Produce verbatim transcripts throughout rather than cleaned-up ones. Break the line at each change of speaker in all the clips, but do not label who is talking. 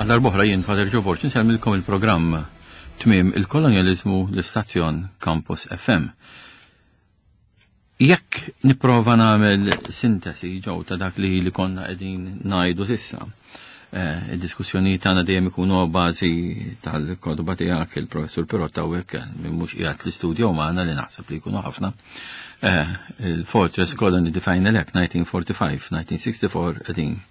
Għal darb'oħra jien Father Joe Borg insellmilkom il-programm Tmiem il-Kolonjaliżmu, l-istazzjon Campus F M. Jekk nipprova nagħmel sintesi ġew ta' dak li li konna qegħdin ngħidu s'issa, eh, id-diskussjoni tagħna dejjem ikunu bażi tal-kotba tiegħek, il-Professur Pirotta, u hekk min mhux qiegħed l-istudju magħna, li naħseb li jkunu ħafna. Eh, Il-Fortress Colony, the Final Act nineteen forty-five nineteen sixty-four, qegħdin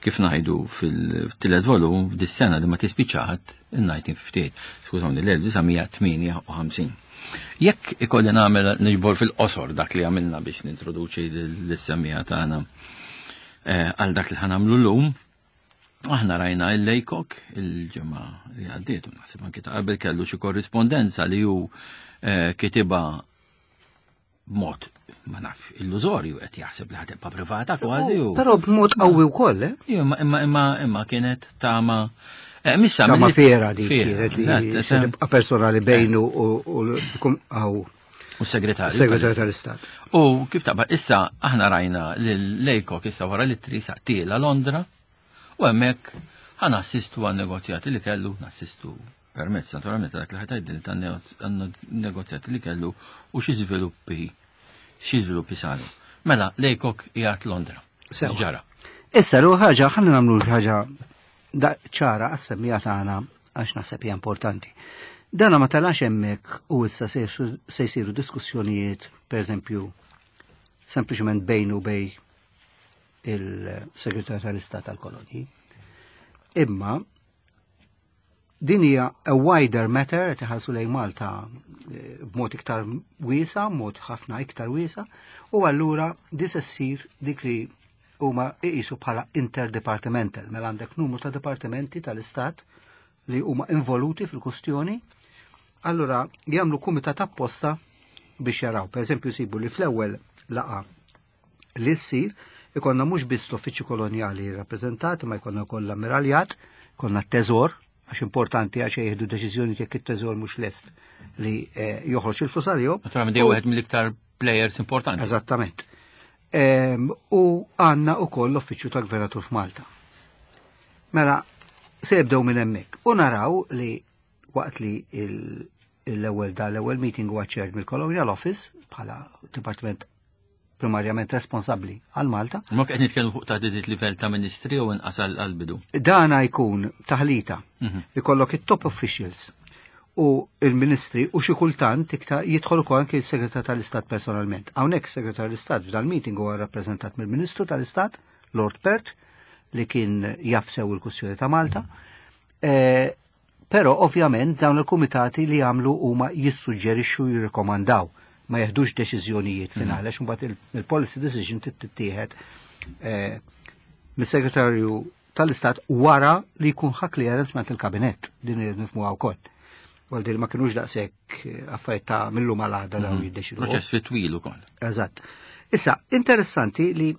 kif ngħidu fil-tielet volum f'dis-sena li ma tispiċċat, il-nineteen fifty-eight, skużawni, l-elf disa' mija tmienja u ħamsin. Jekk ikolli nagħmel niġbor fil-qosor dak li għamilna biex nintroduċi lis-semmiegħa tagħna eh, għal dak li ħa nagħmlu llum, aħna rajna il-Laycock il-ġimgħa li għaddiet, u naħseb anki ta' qabel kellu xi korrispondenza li hu eh, kitiba b'mod, ma naf, illużorju, qed jaħseb li ħa tibqa' privata kważi u
Però b'mod qawwi wkoll, eh?
Imma imma imma imma kienet tama eh, missa
Tama
mill-
fiera di
fiera,
kienet li
eżatt,
se tibqa' personali bejnu u u għaw
u segretarju.
Segretarju tal-Istat.
U kif taqbad, issa aħna rajna l-Laycock issa wara li trisa tiela Londra u hemmhekk ħa nassistu għan negozjati li kellu, nassistu permezz naturalment dak li ħa tgħidil tan negozjati li kellu u xi żviluppi xi żviluppi saru. Mela, Laycock qiegħed Londra.
Sewa.
Ġara.
Issa l ħaġa, ħalli nagħmlu xi ħaġa da ċara għas-semmiegħa tagħna, għax naħseb hija importanti. Dana ma telax hemmhekk u issa se se jsiru diskussjonijiet, pereżempju, sempliċement bejn u bejn il-Segretarju tal-Istat tal-Kolonji. Imma din hija a wider matter, qed iħarsu lejn Malta eh, b'mod iktar wiesa, mod ħafna iktar wiesa, u allura di se ssir dik li huma iqisu bħala interdepartmental, mela għandek numru ta' dipartimenti tal-Istat li huma involuti fil-kustjoni, allura jagħmlu kumitat apposta biex jaraw. Per eżempju, sibu li fl-ewwel laqgħa li ssir ikonna mhux biss l-uffiċċju kolonjali rappreżentati, ma jkollna wkoll l-ammiraljat, konna t-teżor, għax importanti, għax jieħdu deċiżjoni jekk it-teżor mhux lest li eh, joħroġ il-flus għalihom.
Naturalment dej wieħed mill-iktar players importanti.
Eżattament. Em, U għandna ukoll l-uffiċċju tal-Gvernatur f'Malta. Mela, se jibdew minn hemmhekk. U naraw li waqt li il- l-ewwel da l-ewwel meeting huwa chaired mill-Colonial Office bħala dipartiment primarjament responsabbli għal Malta,
Ma qed nitkellmu fuq taħdidiet livell ta' ministri u inqas għal bidu.
Dana jkun taħlita. Ikollok it-top officials u il-ministri u xi kultant iktar jidħol ukoll anke il-Segretar tal-Istat personalment. Hawnhekk Segretar tal-Istat f'dal meeting huwa rappreżentat mill-Ministru tal-Istat, Lord Perth, li kien jaf sew il-kwistjoni ta' Malta. Eh, Però ovvjament dawn il-kumitati li jagħmlu huma jissuġġerixxu, jirrikomandaw, ma jeħdux deċiżjonijiet finali, għax imbagħad il- il-policy decision tittieħed eh, mis-segretarju tal-Istat wara li jkun ħa clearance minn il-kabinett, din nifhmuha wkoll. Għal din ma kienux daqshekk eh, affarijiet ta' millu mal-għada dawn jiddeċidu.
Proċess fit twil ukoll.
Eżatt. Issa, interessanti li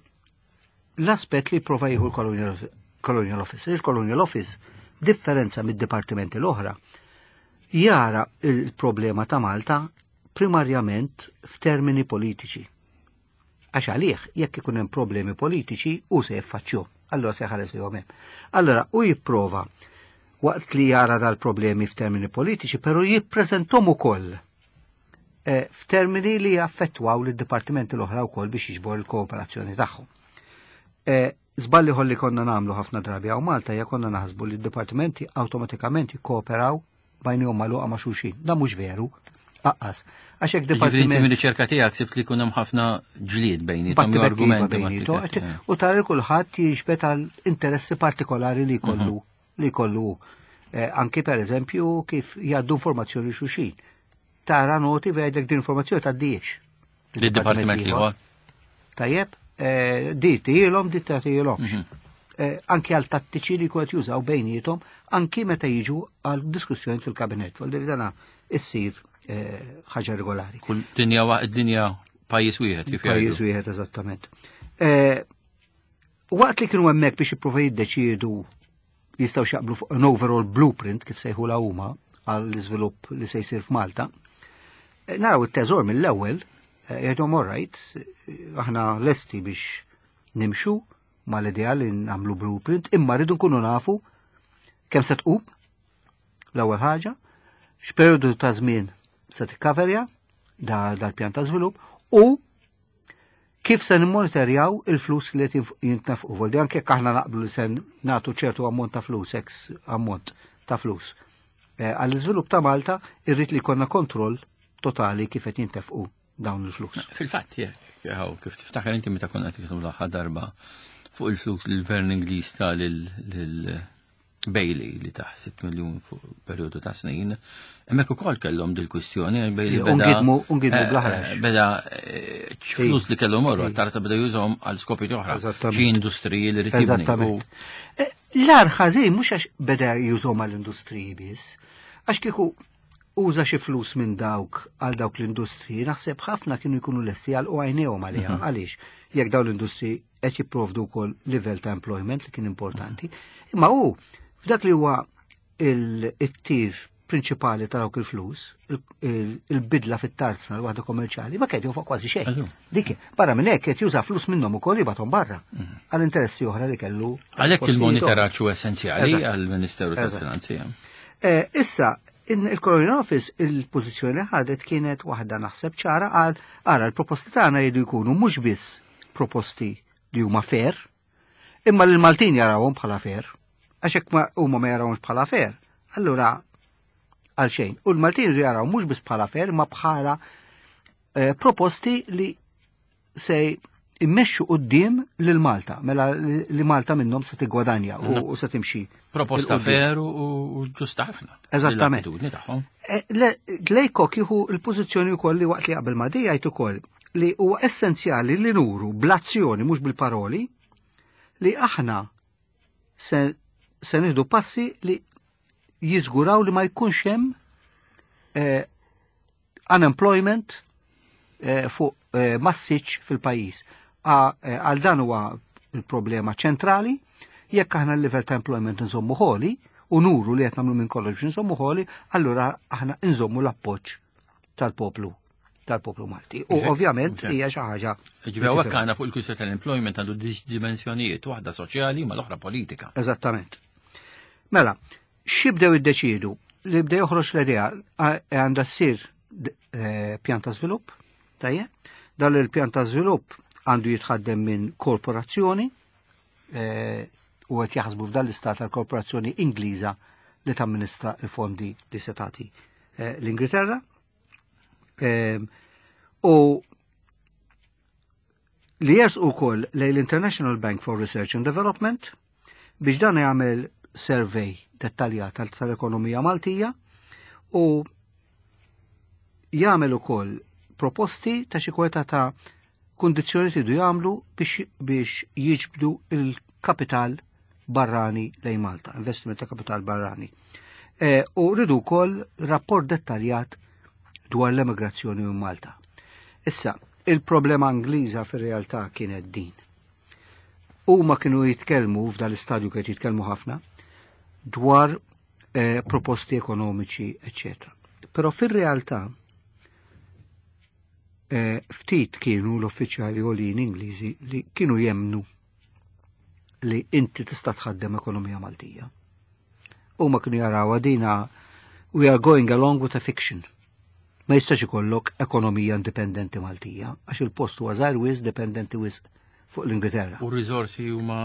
l-aspett li prova jieħu l-Colonial Colonial Office. Il-Colonial Office, differenza mid-dipartimenti l-oħra, jara il-problema ta' Malta primarjament f'termini politiċi. Għax għalih, jekk ikun hemm problemi politiċi, u se jiffaċċju. Allora se jħares li hemm. Allora, u jipprova waqt li jara dal-problemi f'termini politiċi, però jippreżentom ukoll eh, f'termini li jaffettwaw lid-dipartimenti l-oħra wkoll biex jiġbor il-kooperazzjoni tagħhom. Eh, Żball ieħor li konna nagħmlu ħafna drabi hawn Malta hija konna naħsbu li d-dipartimenti awtomatikament jikkooperaw b'għajnejhom magħluqa ma' xulxin. Da mhux veru. Aqqas. Għax hekk
Ġifieri inti
dipartiment
mir-riċerka tiegħek sibt li jkun hemm ħafna ġlied bejniethom jew
battibekkiva
argumenti
bejnietu,
battibekki.
u tara kulħadd jiġbed għal interessi partikolari li jkollu li jkollu eh, anki per eżempju kif jgħaddu informazzjoni xulxin. Tara noti b'għidlek din informazzjoni tgħaddihiex.
Lid-dipartiment ieħor.
Tajjeb, eh, di tgħidilhom, di tgħidilhomx. Eh, Anki għal tattiċi li kont jużaw bejniethom, anki meta jiġu għal diskussjoni fil-kabinet. Vuol dire dana issir eh, ħaġa regolari.
Kull dinja wa- dinja pajjiż wieħed kif
Pajjiż
jgħidu.
Wieħed, eżattament. Eh, Waqt li kienu hemmhekk biex jippruvaw jiddeċiedu jistgħu jaqblu fuq an overall blueprint, kif sejħu la huma, għall-iżvilupp li se jsir f'Malta, eh, naraw it-teżor mill-ewwel eh, jgħidhom all right, eh, aħna lesti biex nimxu mal-idea li nagħmlu blueprint, imma rridu nkunu nafu Kemm se tqum? L-ewwel ħaġa, x'perjodu ta' żmien se tikkaverja da dal-pjan ta' żvilupp u kif se nimmonitorjaw il-flus li qed jintnefqu. Voldi anke jekk aħna naqblu li se nagħtu ċertu ammont ta' flus, ex ammont ta' flus. Eh, għall-iżvilupp ta' Malta irrid li jkollna kontroll totali kif qed jintefqu dawn il-flus.
Fil-fatt, jekk, kif tiftakar inti meta konna qed l-aħħar darba fuq il-flus li l-Gvern Ingliż ta lil Bailey li taħ sitt miljun fuq perjodu ta' snin, hemmhekk ukoll kellhom dil-kwistjoni għal Bailey beda.
Ungidmu, ungidmu
eh,
bl-aħrax.
Beda eh, flus li kellhom morru, tarsa beda jużhom għal skopi oħra.
Eżattament.
Xi industriji li rid jibni.
Eżattament. Eh, L-ar ħażin mhux għax beda jużhom għall-industriji biss, għax kieku uża xi flus minn dawk għal dawk l-industriji, naħseb ħafna kienu jkunu lesti għal u għajnejhom għaliha. Għaliex? Jekk dawn l-industriji qed jipprovdu wkoll livell ta' employment li kien importanti. Imma hu f'dak li huwa il-tir prinċipali ta' dawk il-flus, il- il-bidla fit-tarzna l-waħda kommerċjali, ma kien jonfoq kważi xejn.
Eżatt.
Dik, barra minn hekk qed juża flus minnhom ukoll jibgħathom barra għal interessi oħra li kellu.
Għalhekk
postijiet
il-monitoraġġ huwa essenzjali
Eżatt.
għall-Ministeru
Eżatt.
tal-Finanzi.
Eh, Issa, in il-Colonial Office il-pożizzjoni li ħadet kienet waħda naħseb ċara għal ara l-proposti tagħna jridu jkunu mhux biss proposti li huma fair, imma li l-Maltin jarawhom bħala fair. Għax hekk ma huma ma jarawhomx bħala fair, allura għal xejn. U l-Maltin jridu jaraw mhux biss bħala fair, ma bħala eh, proposti li se immexxu quddiem lil Malta, mela li li Malta minnhom se tiggwadanja u, u se timxi.
Proposta
'il quddiem.
fair u u ġusta ħafna.
Eżattament.
L-attitudni tagħhom.
Eh, Le- Laycock jieħu il-pożizzjoni wkoll li waqt li qabel ma di jgħid ukoll li huwa essenzjali li nuru bl-azzjoni mhux bil-paroli li aħna se, se nieħdu passi li jiżguraw li ma jkunx hemm eh, unemployment eh, fuq eh, massiċ fil-pajjiż. A- eh, Għal dan huwa il-problema ċentrali, jekk aħna l-level ta' employment nżommu ħoli u nuru li qed nagħmlu minn kollox biex nżommu ħoli, allura aħna nżommu l-appoġġ tal-poplu tal-poplu Malti. U
Mhux hekk?
ovvjament
Mhux hekk.
hija xi ħaġa.
Ġifieri hawnhekk għandna fuq il-kwistjoni tal-employment għandu dimensjonijiet, waħda soċjali ma l-oħra politika.
Eżattament. Mela, x'ibdew iddeċiedu? Li bdew joħroġ l-idea a- għandha ssir d- eh, pjan ta' żvilupp, tajjeb? Dan il-pjan ta' żvilupp għandu jitħaddem minn korporazzjoni eh, u qed jaħsbu f'dan l-istat tal-korporazzjoni Ingliża li tamministra il-fondi li se tagħti eh, l-Ingilterra. Em, U li jersqu wkoll lejn l-International Bank for Research and Development biex dan jagħmel survey dettaljat tal- tal-ekonomija Maltija u jagħmel ukoll proposti ta' xi kweta ta' kundizzjoni tridu jagħmlu biex, biex jiġbdu il-kapital barrani lejn Malta, investiment ta' kapital barrani. E, u rridu wkoll rapport dettaljat dwar l-emigrazzjoni minn Malta. Issa, il-problema Ingliża fir-realtà kienet din. Huma kienu jitkellmu f'dan l-istadju kienu jitkellmu ħafna dwar eh, proposti ekonomiċi, eccetera. Però fir-realtà eh, ftit kienu l-uffiċjali għolin Ingliżi li kienu jemnu li inti tista' tħaddem ekonomija Maltija. Huma kienu jaraw dina we are going along with a fiction. Ma jistax ikollok ekonomija indipendenti Maltija, għax il-post huwa żgħir wisq dipendenti wisq fuq l-Ingilterra.
U r-riżorsi huma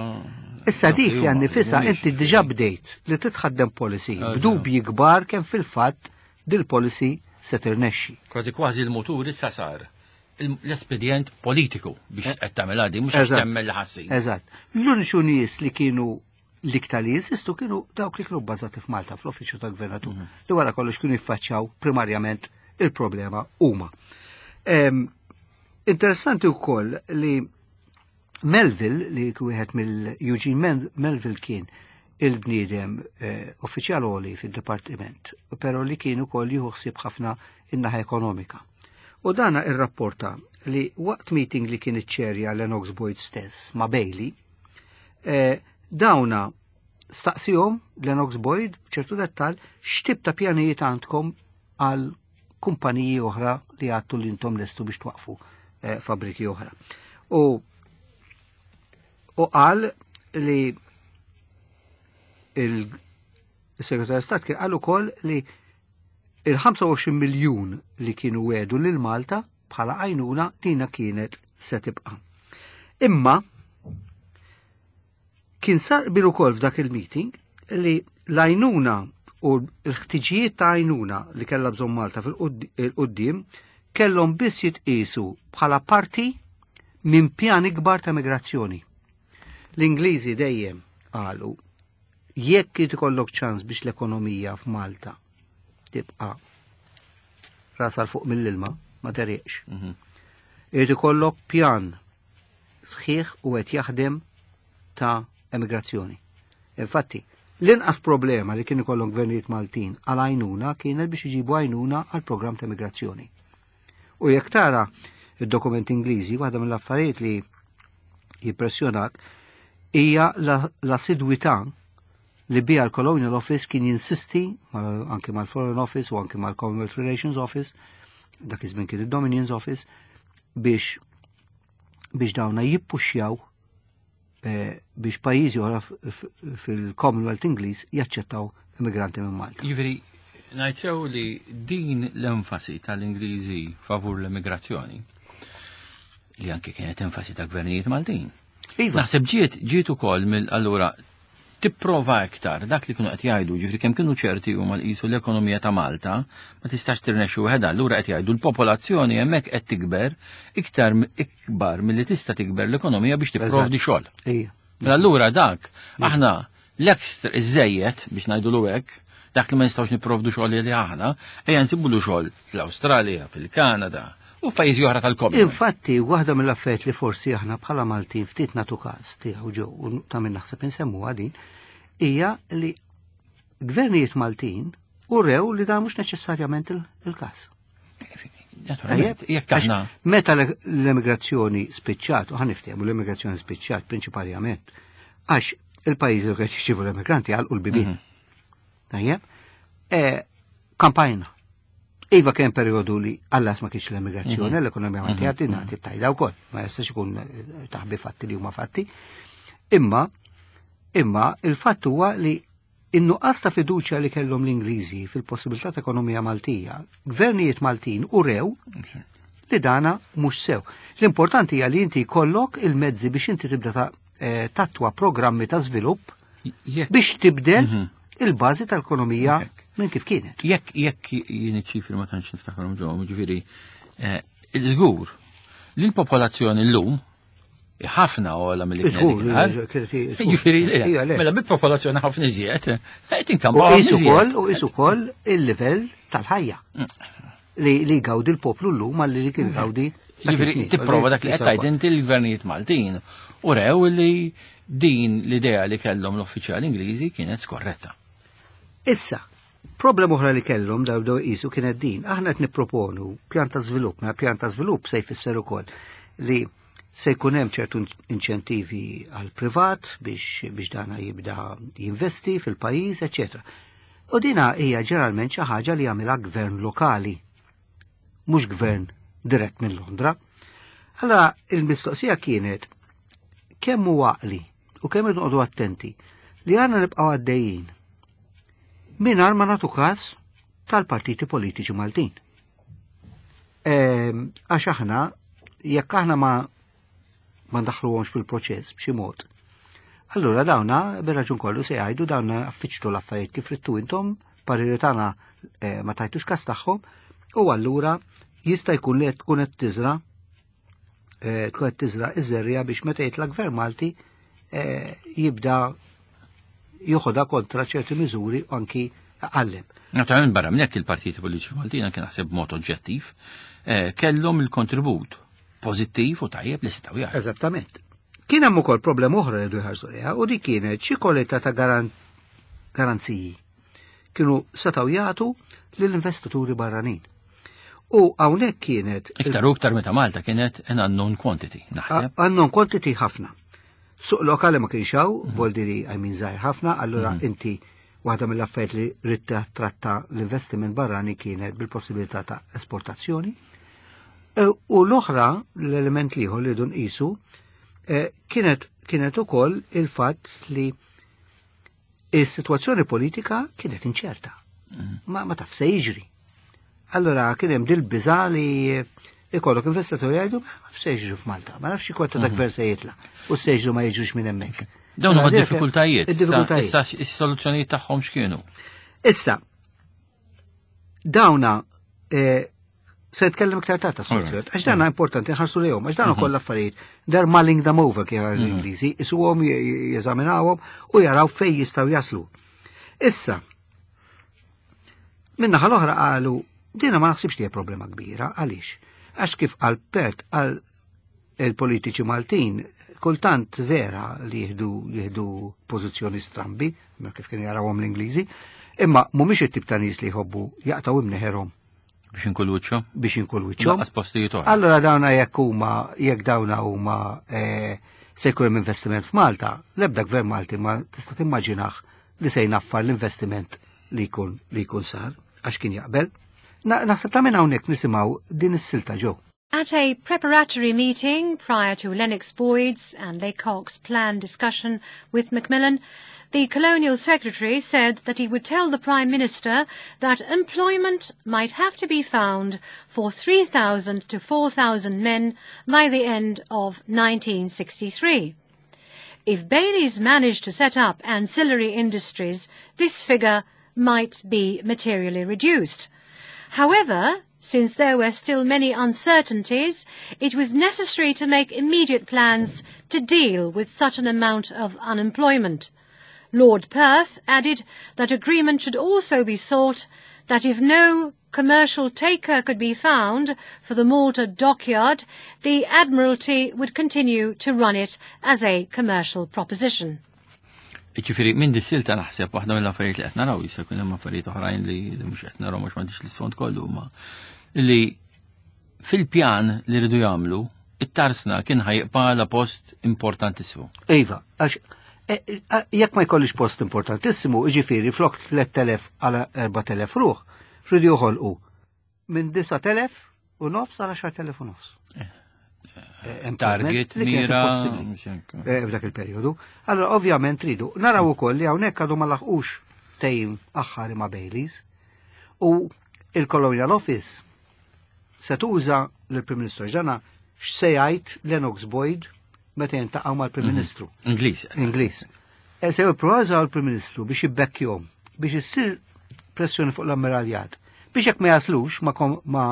Issa dik
huma,
jan nifisa
mhumiex.
inti diġà bdejt li titħaddem policy
Eżatt.
b'dubji kbar kemm fil-fatt dil-policy se tirnexxi.
Kważi kważi l-motur issa sar il- l-espedjent politiku biex qed tagħmel għadi mhux
Eżatt.
temmel li ħassin.
Eżatt. L-uniċu nies li kienu l-iktar li jinsistu kienu dawk li kienu bbażati f'Malta fl-uffiċċju tal-gvernatur li wara kollox kienu jiffaċċjaw primarjament il-problema huma. Em, Interessanti wkoll li Melville, li wieħed mill-Eugene Mel- Melville kien il-bniedem eh, uffiċjal għoli fid-dipartiment, però li kien ukoll jieħu ħsieb ħafna in-naħa ekonomika. U dana irrapporta li waqt meeting li kien iċċerja Lennox Boyd stess ma' Bailey, eh, dawna staqsihom Lennox Boyd b'ċertu dettal x'tip ta' pjanijiet għandkom għal kumpaniji oħra li għattu li intom lestu biex twaqfu eh, fabriki oħra. U u qal li il Is-Segretarju Stat kien qal ukoll li il-ħamsa u għoxrin miljun li kienu wedu lil Malta bħala għajnuna dina kienet se tibqa'. Imma kien sar qbil ukoll f'dak il-meeting li l-għajnuna u l-ħtiġijiet ta' għajnuna li kellha bżonn Malta fil-qudiem kellhom biss jitqisu bħala parti minn pjan ikbar ta' migrazzjoni. L-Ingliżi dejjem qalu jekk ikollok ċans biex l-ekonomija f'Malta tibqa' rasha 'l fuq mill-ilma, ma tegħreqx.
Mhm.
Irid ikollok pjan sħiħ u qed jaħdem ta' emigrazzjoni. Infatti, l-inqas problema li kien ikollhom gvernijiet Maltin għal għajnuna kienet biex iġibu għajnuna għal programm ta' emigrazzjoni. U jekk tara id-dokumenti Ingliżi, waħda mill-affarijiet li jimpressjonak hija l-assidwità li bija l-Colonial Office kien jinsisti anke mal-Foreign Office u anke mal-Commonwealth Relations Office, dak iż-żmien kien id-Dominions Office, biex biex dawna jippuxjaw eh, biex pajjiżi oħra fil-Commonwealth Ingliż jaċċettaw immigranti minn Malta.
Jiġifieri, ngħid li din l-enfasi tal-Ingliżi favur l-immigrazzjoni, li anke kienet enfasi ta' gvernijiet Maltin.
Iva.
Naħseb ġiet ġiet ukoll mill-allura tipprova iktar dak li kienu qed jgħidu, ġifieri kemm kienu ċerti huma qisu l-ekonomija ta' Malta ma tistax tirnexxu waħedha, allura qed jgħidu l-popolazzjoni hemmhekk qed tikber iktar ikbar milli tista' tikber l-ekonomija biex tipprovdi xogħol.
Ija.
Mela allura dak aħna l-ekstra iżejjed biex ngħidu hekk, dak li ma nistgħux nipprovdu xogħol li aħna, ejja nsibulu xogħol fl-Awstralja, fil-Kanada u f'pajjiżi oħra tal-Commonwealth.
Infatti, waħda mill-affarijiet li forsi aħna bħala Maltin ftit nagħtu każ tiegħu ġew u ta' min naħseb insemmuha din, hija li gvernijiet Maltin urew li dan mhux neċessarjament il-każ.
Naturalment, jekk aħna
Meta l-emigrazzjoni spiċċat, u ħa niftehmu, l-emigrazzjoni spiċċat prinċipalment, għax il-pajjiżi li qed jirċievu l-emigranti għalqu l-bibien.
Mhm.
Tajjeb? E, kampajna. Iva, kien periodu li għallas ma kienx l-emigrazzjoni,
Mhm.
l-ekonomija Maltija mm tajda wkoll, ma jistax ikun eh, taħbi fatti li huma fatti. Imma, imma il-fatt huwa li in-nuqqas ta' fiduċja li kellhom l-Ingliżi fil-possibilità ta' ekonomija Maltija, gvernijiet Maltin urew li dana mhux sew. L-importanti hija li inti jkollok il-mezzi biex inti tibda ta' eh, tattwa programmi ta' żvilupp
Jekk
biex tibdel
Mhm.
il-bażi tal-ekonomija
Hekk.
minn kif kienet.
Jekk jekk jien iċ-ċifri ma tantx niftakarhom ġew, ġifieri eh, żgur li l-popolazzjoni llum ħafna ogħla milli
Żgur,
kienet
kienet żgur.
Ġifieri,
Ija, le.
mela bil-popolazzjoni ħafna iżjed, qed
U
inkampa
qisu ukoll u qisu ukoll il-livell tal-ħajja li li gawdi l-poplu llum għalli li kien gawdi dak
Ġifieri
is-snin.
tipprova dak li qed tgħid inti, l-gvernijiet Maltin u rew li din l-idea li kellhom l-uffiċjali Ingliżi kienet skorretta.
Issa, problema oħra li kellhom daw daw qisu kienet din. Aħna qed nipproponu pjan ta' żvilupp, ma pjan ta' żvilupp se jfisser ukoll li se jkun hemm ċertu inċentivi għal privat biex biex dana jibda jinvesti fil-pajjiż, eċetera. U dina hija ġeneralment xi ħaġa li jagħmilha gvern lokali, mhux gvern dirett minn Londra. Allora il-mistoqsija kienet kemm hu għaqli u kemm irridu attenti li għandna nibqgħu għaddejjin mingħajr ma nagħtu każ tal-partiti politiċi Maltin. Ehm, Għax aħna, jekk aħna ma ma ndaħluhomx fil-proċess b'xi mod, allura dawna bir-raġun kollu se jgħidu dawna affiċtu l-affarijiet kif ridtu intom, pariri tagħna eh, ma tajtux każ tagħhom, u allura jista' jkun li qed tkun qed tiżra eh, tkun qed tiżra iż-żerriegħa biex meta jitla' gvern Malti eh, jibda joħodha kontra ċerti miżuri u anki għallem.
Naturalment, barra minn hekk, il-partiti politiċi Maltin, anke naħseb b'mod oġġettiv, eh, kellhom il-kontribut pożittiv u tajjeb li setgħu jagħtu.
Eżattament. Kien hemm ukoll problema oħra li jħarsu lejha u di kienet xi kwalità ta' garan garanziji kienu setgħu jagħtu lill-investituri barranin. U hawnhekk kienet
Iktar u iktar meta Malta kienet an unknown quantity, naħseb.
Unknown quantity ħafna. Suq lokali ma kienx hawn, voldiri għajmin żgħir ħafna, allura inti waħda mill-affarijiet li ridt tratta l-investiment barrani kienet bil-possibilità ta' esportazzjoni. E, U l-oħra, l-element l-ieħor li dun qisu, eh, kienet kienet ukoll il-fatt li Is-sitwazzjoni politika kienet inċerta. Ma, ma taf se jiġri. Allora kien hemm dil-biża li ikollok investitori jgħidu ma nafx se jiġri f'Malta, ma nafx kwota ta' gvern se jitla' u se jiġru ma jiġrux minn hemmhekk.
Dawn huma
Mela, dik-
diffikultajiet.
Id-diffikultajiet.
Issa is-soluzzjonijiet tagħhom x'kienu?
Issa, dawna eh, se nitkellem iktar tard tas-soluzzjoni, għax dana importanti nħarsu lejhom, għax dana kollha affarijiet. They're mulling them over kif l-Ingliżi, isuhom jeżaminawhom u jaraw fejn jistgħu jaslu. Issa, min-naħa l-oħra qalu, dina ma naħsibx li hija problema kbira, għaliex? Għax kif qal Perth għal il-politiċi Maltin, kultant vera li jieħdu jieħdu pożizzjoni strambi, ma kif kienu jarawhom l-Ingliżi, imma mhumiex it-tip ta' nies li jħobbu jaqtaw imneħerhom
Biex inkun wiċċhom?
biex inkun wiċċhom.
Lanqas postijiet oħra.
Allora dawna jekk huma jekk dawna huma eh, se jkun hemm investiment f'Malta, l-ebda gvern Malti ma tista' timmaġinah li se jnaffar l-investiment li jkun li jkun sar għax kien jaqbel. Na- Naħseb ta' minn hawnhekk nisimgħu din is-silta ġew.
At a preparatory meeting prior to Lennox Boyd's and Laycock's planned discussion with Macmillan, the Colonial Secretary said that he would tell the Prime Minister that employment might have to be found for three thousand to four thousand men by the end of nineteen sixty-three. If Bayleys managed to set up ancillary industries, this figure might be materially reduced. However, since there were still many uncertainties, it was necessary to make immediate plans to deal with such an amount of unemployment. Lord Perth added that agreement should also be sought that if no commercial taker could be found for the Malta dockyard, the Admiralty would continue to run it as a commercial proposition.
Ġifieri, minn dis-silta naħseb waħda mill-affarijiet li qed naraw, jista' jkun hemm affarijiet oħrajn li li mhux qed naraw mhux m'għandix l-isfond kollu, ma li fil-pjan li rridu jagħmlu, it-tarsna kien ħa jibqa' post importantissimu.
Iva, għax eh, eh, jekk ma jkollix post importantissimu, jiġifieri flok tliet elef għal erbat elef ruħ, rridu joħolqu minn disat elef u nofs għal għaxart elef u nofs. Eh, employment
Target,
li kienet
mira,
impossibbli
mhux hekk.
eh, f'dak il-perjodu. Allora, ovvjament ridu naraw ukoll li hawnhekk għadu ma laħqux ftehim aħħari ma' Bayleys u il-Colonial Office se tuża lill-Prim Ministru ġana x'se jgħid Lennox Boyd meta jintaqgħu mal-Prim Ministru.
Ingliż.
Ingliż. E se jipprovaw l-Prim Ministru biex jibbekkjhom biex issir pressjoni fuq l-ammiraljat biex jekk ma jaslux ma, kom, ma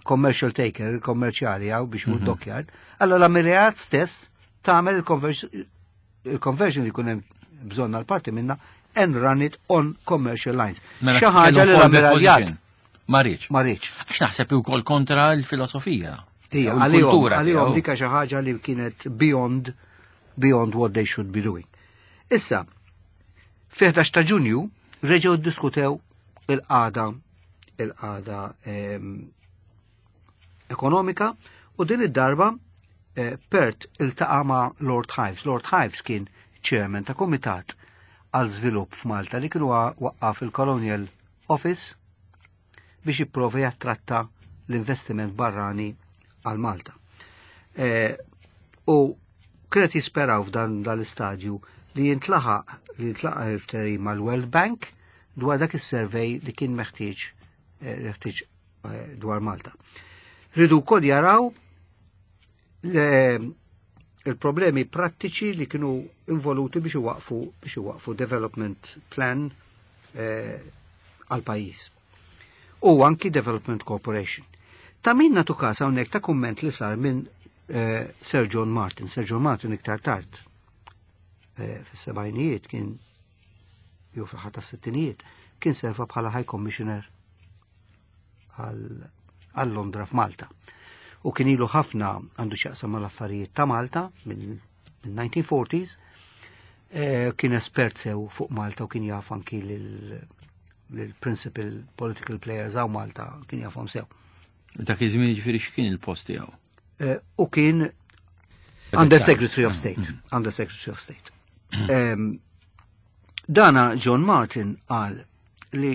commercial taker, kommerċjali għaw biex mm dockyard, allora l-ammiraljat stess tagħmel il-conversion li jkun hemm bżonn għal parti minna and run it on commercial lines.
Mela,
Xi ħaġa li
kellu fallback
l-ammiraljat
position. Ma rridx.
Ma rridx.
Għax naħseb ukoll kontra l-filosofija.
Ija,
U
għalihom,
l-kultura
għalihom
tiegħu.
dika xi ħaġa li kienet beyond beyond what they should be doing. Issa, fi ħdax ta' Ġunju reġgħu ddiskutew il-qagħda il-qagħda em, ekonomika u din id-darba eh, Perth iltaqa' ma' Lord Hives. Lord Hives kien chairman ta' komitat għal żvilupp f'Malta li kienu waqqaf il-Colonial Office biex jipprova jattratta l-investiment barrani għal Malta. Eh, u kienet jisperaw f'dan dal-istadju li jintlaħaq li jintlaħaq il-ftehim mal-World Bank dwar dak is-survey li kien meħtieġ eh, meħtieġ eh, dwar Malta. Ridu wkoll jaraw le- il-problemi prattiċi li kienu involuti biex iwaqfu biex iwaqfu development plan eh, għal pajjiż. U anki Development Corporation. Ta' min natu kas hawnhekk ta' kumment li sar minn eh, Sir John Martin. Sir John Martin iktar tard eh, fis-sebgħinijiet kien jew fl tas-sittinijiet kien serva bħala High Commissioner għal għal Londra f'Malta. U kien ilu ħafna għandu x'jaqsam mal-affarijiet ta' Malta minn minn nineteen forties, eh, kien espert sew fuq Malta u kien jaf anki lil lil-principal political players hawn Malta, kien jafhom sew.
Dak iż-żmien ġifieri x'kien il-post tiegħu?
Eh, u kien Under Secretary of State. Under Secretary of State. Em, Dana John Martin qal li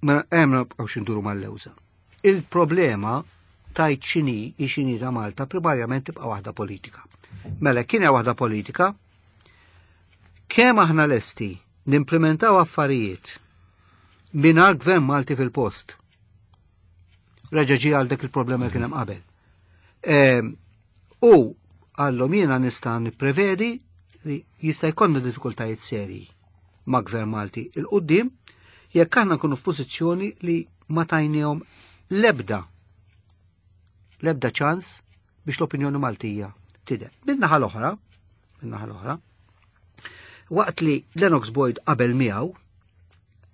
ma hemm nibqgħux induru mal-lewża. Il-problema tajt xini xini ta' Malta primarjament tibqa' waħda politika. Mela kien hemm waħda politika. Kemm aħna lesti nimplementaw affarijiet mingħajr gvern Malti fil-post. Reġa' ġie għal dak il-problema li kien hemm qabel. Ehm, U għallhom jiena nista' nipprevedi li jista' jkollna diffikultajiet serji ma' gvern Malti 'il quddiem jekk aħna nkunu f'pożizzjoni li ma tajnihom lebda lebda ċans biex l-opinjoni Maltija tidher. Min-naħa l-oħra, min-naħa l-oħra, waqt li Lennox Boyd qabel miegħu,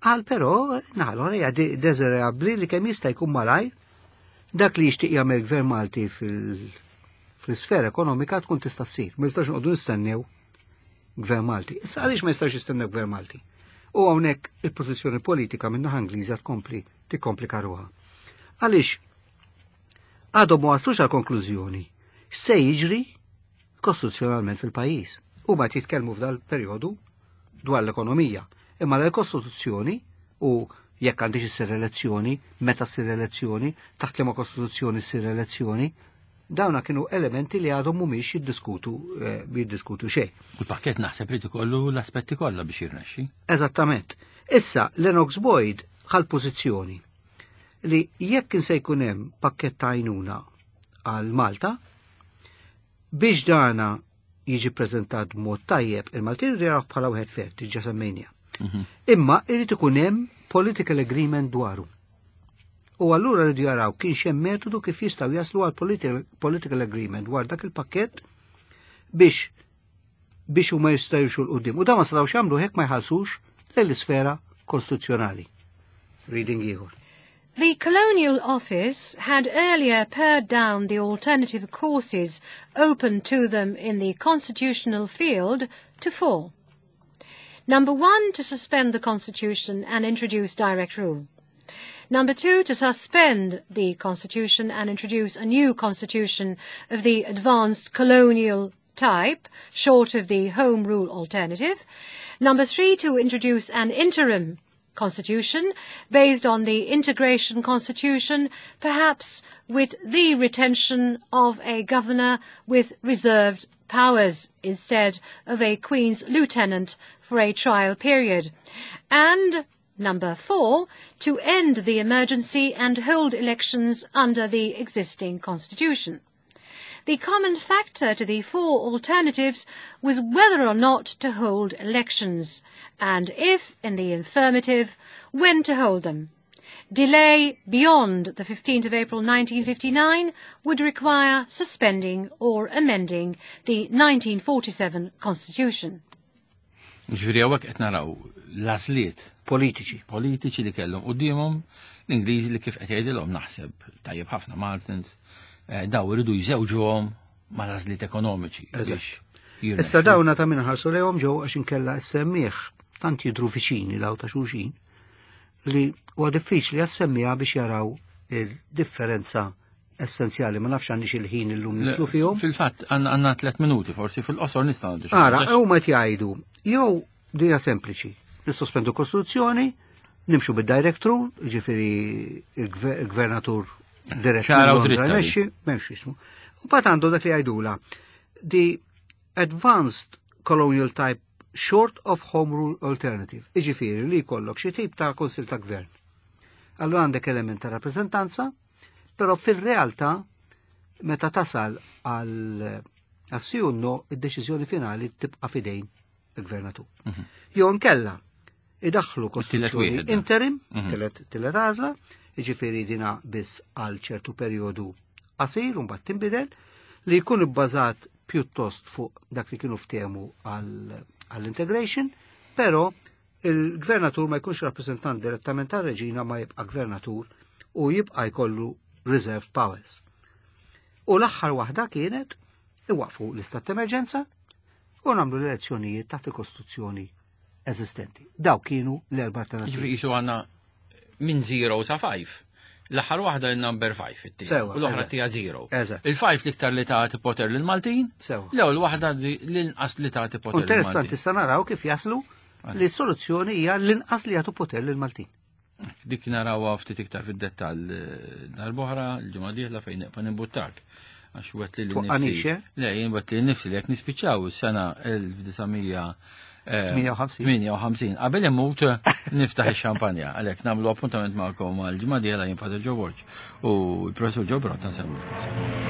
qal però naħa l-oħra hija de- deżirabbli li kemm jista' jkun malajr dak li jixtieq jagħmel gvern Malti fil- fl-isfera ekonomika tkun tista' ssir. Ma jistax noqogħdu nistennew gvern Malti. Issa għaliex ma jistax jistennew gvern Malti? U hawnhekk il-pożizzjoni politika minn naħa Ingliża tkompli tikkomplika ruħha. Għaliex għadhom ma waslux għal konklużjoni se jiġri kostituzzjonalment fil-pajjiż. U ma jitkellmu f'dal perjodu dwar l-ekonomija. Imma l-Kostituzzjoni u jekk għandix issir elezzjoni, meta ssir elezzjoni, taħt liema kostituzzjoni ssir elezzjoni, dawna kienu elementi li għadhom mhumiex jiddiskutu eh, jiddiskutu xejn.
U l-pakket naħseb li ikollu l-aspetti kollha biex jirnexxi.
Eżattament. Issa, Lennox Boyd ħal pożizzjoni li jekk se jkun hemm pakket ta' għajnuna għal Malta, biex dana jiġi preżentat b'mod tajjeb, il-Maltin iridu jaraw bħala wieħed fair, diġà semmejnija. Imma irid ikun hemm political agreement dwaru. U allura rridu jaraw kien hemm metodu kif jistgħu jaslu għal political, political agreement dwar dak il-pakket biex biex huma jistgħu jimxu 'l quddiem. U dan ma setgħux jagħmlu hekk ma jħallsux l-isfera kostituzzjonali. Reading ieħor.
The Colonial Office had earlier pared down the alternative courses open to them in the constitutional field to four. Number one, to suspend the Constitution and introduce direct rule. Number two, to suspend the Constitution and introduce a new constitution of the advanced colonial type, short of the Home Rule alternative. Number three, to introduce an interim constitution based on the integration constitution, perhaps with the retention of a governor with reserved powers instead of a Queen's lieutenant for a trial period. And number four, to end the emergency and hold elections under the existing constitution. The common factor to the four alternatives was whether or not to hold elections, and if, in the affirmative, when to hold them. Delay beyond the fifteenth of April nineteen fifty-nine would require suspending or amending the nineteen forty-seven Constitution.
Ġifieri hawnhekk qed naraw l-għażliet
politiċi.
Politiċi li kellhom quddiemhom l-Ingliżi li kif qed jgħidilhom naħseb tajjeb ħafna Martins, eh, daw iridu jżewġuhom mal-għażliet ekonomiċi
Eżatt.
biex jirnexxu.
Issa dawna ta' min ħarsu lejhom ġew għax inkella s-semmiegħ tant jidru viċini daw ta' xulxin li huwa diffiċli għas-semmiegħa biex jaraw il-differenza essenzjali. Ma nafx għandix il-ħin illum
Le,
nidħlu fihom.
Fil-fatt għandna għandna tliet minuti, forsi fil-qosor nistgħu ngħidu xi
Ara,
ħaġa.
huma qed jgħidu jew dija sempliċi, nissospendu kostituzzjoni, nimxu bid-direct rule, ġifieri il-gvernatur dirett
ċara u
minn Londra
dritta li.
jmexxi, m'hemmx jismu. U mbagħad għandu dak li jgħidula the advanced colonial type short of home rule alternative. Iġifieri li jkollok xi tip ta' konsil ta' gvern. Allura għandek element ta' rappreżentanza, però fil-realtà meta tasal għal għal no id-deċiżjoni finali tibqa' fidejn il-gvernatur. Jew nkella idaħħlu kostituzzjoni
wieħed,
interim,
Mhm.
tielet tielet għażla, jiġifieri dina biss għal ċertu perjodu qasir u mbagħad tinbidel, li jkun ibbażat pjuttost fuq dak li kienu ftehmu għall-integration, però il-gvernatur ma jkunx rappresentant direttament tar-reġina ma jibqa' gvernatur u jibqa' jkollu reserved powers. U l-aħħar waħda kienet iwaqfu l-istat ta' emerġenza u nagħmlu l-elezzjonijiet taħt il-kostituzzjoni eżistenti. Daw kienu l-erba' alternativi.
Ġifieri qisu għandna minn zero sa five. L-aħħar waħda il-number five it
Sewa,
U l-oħra
eżatt.
tija zero.
Eżatt.
Il-five l-iktar li tagħti poter lill-Maltin.
Sewa.
L-ewwel waħda li- l-inqas li tagħti poter
Interessanti
lill-Maltin.
issa naraw kif jaslu li s-soluzzjoni hija l-inqas li jagħtu poter lill-Maltin.
Dik narawha ftit iktar fid-dettall eh, darb'oħra l-ġimgħa dieħla fejn neqpa nimbuttak. Għax wet li
Twaqqanix,
nifsi.
eh?
Le, jien wet li nifsi li jekk nispiċċaw is-sena eh,
tmienja u ħamsin.
tmienja u ħamsin. Qabel imut niftaħ ix-xampanja, għalhekk nagħmlu appuntament magħkom għal ġimgħa dieħla. Jien Father Joe Borg u l-Professur Joe Pirotta nsellmulkom.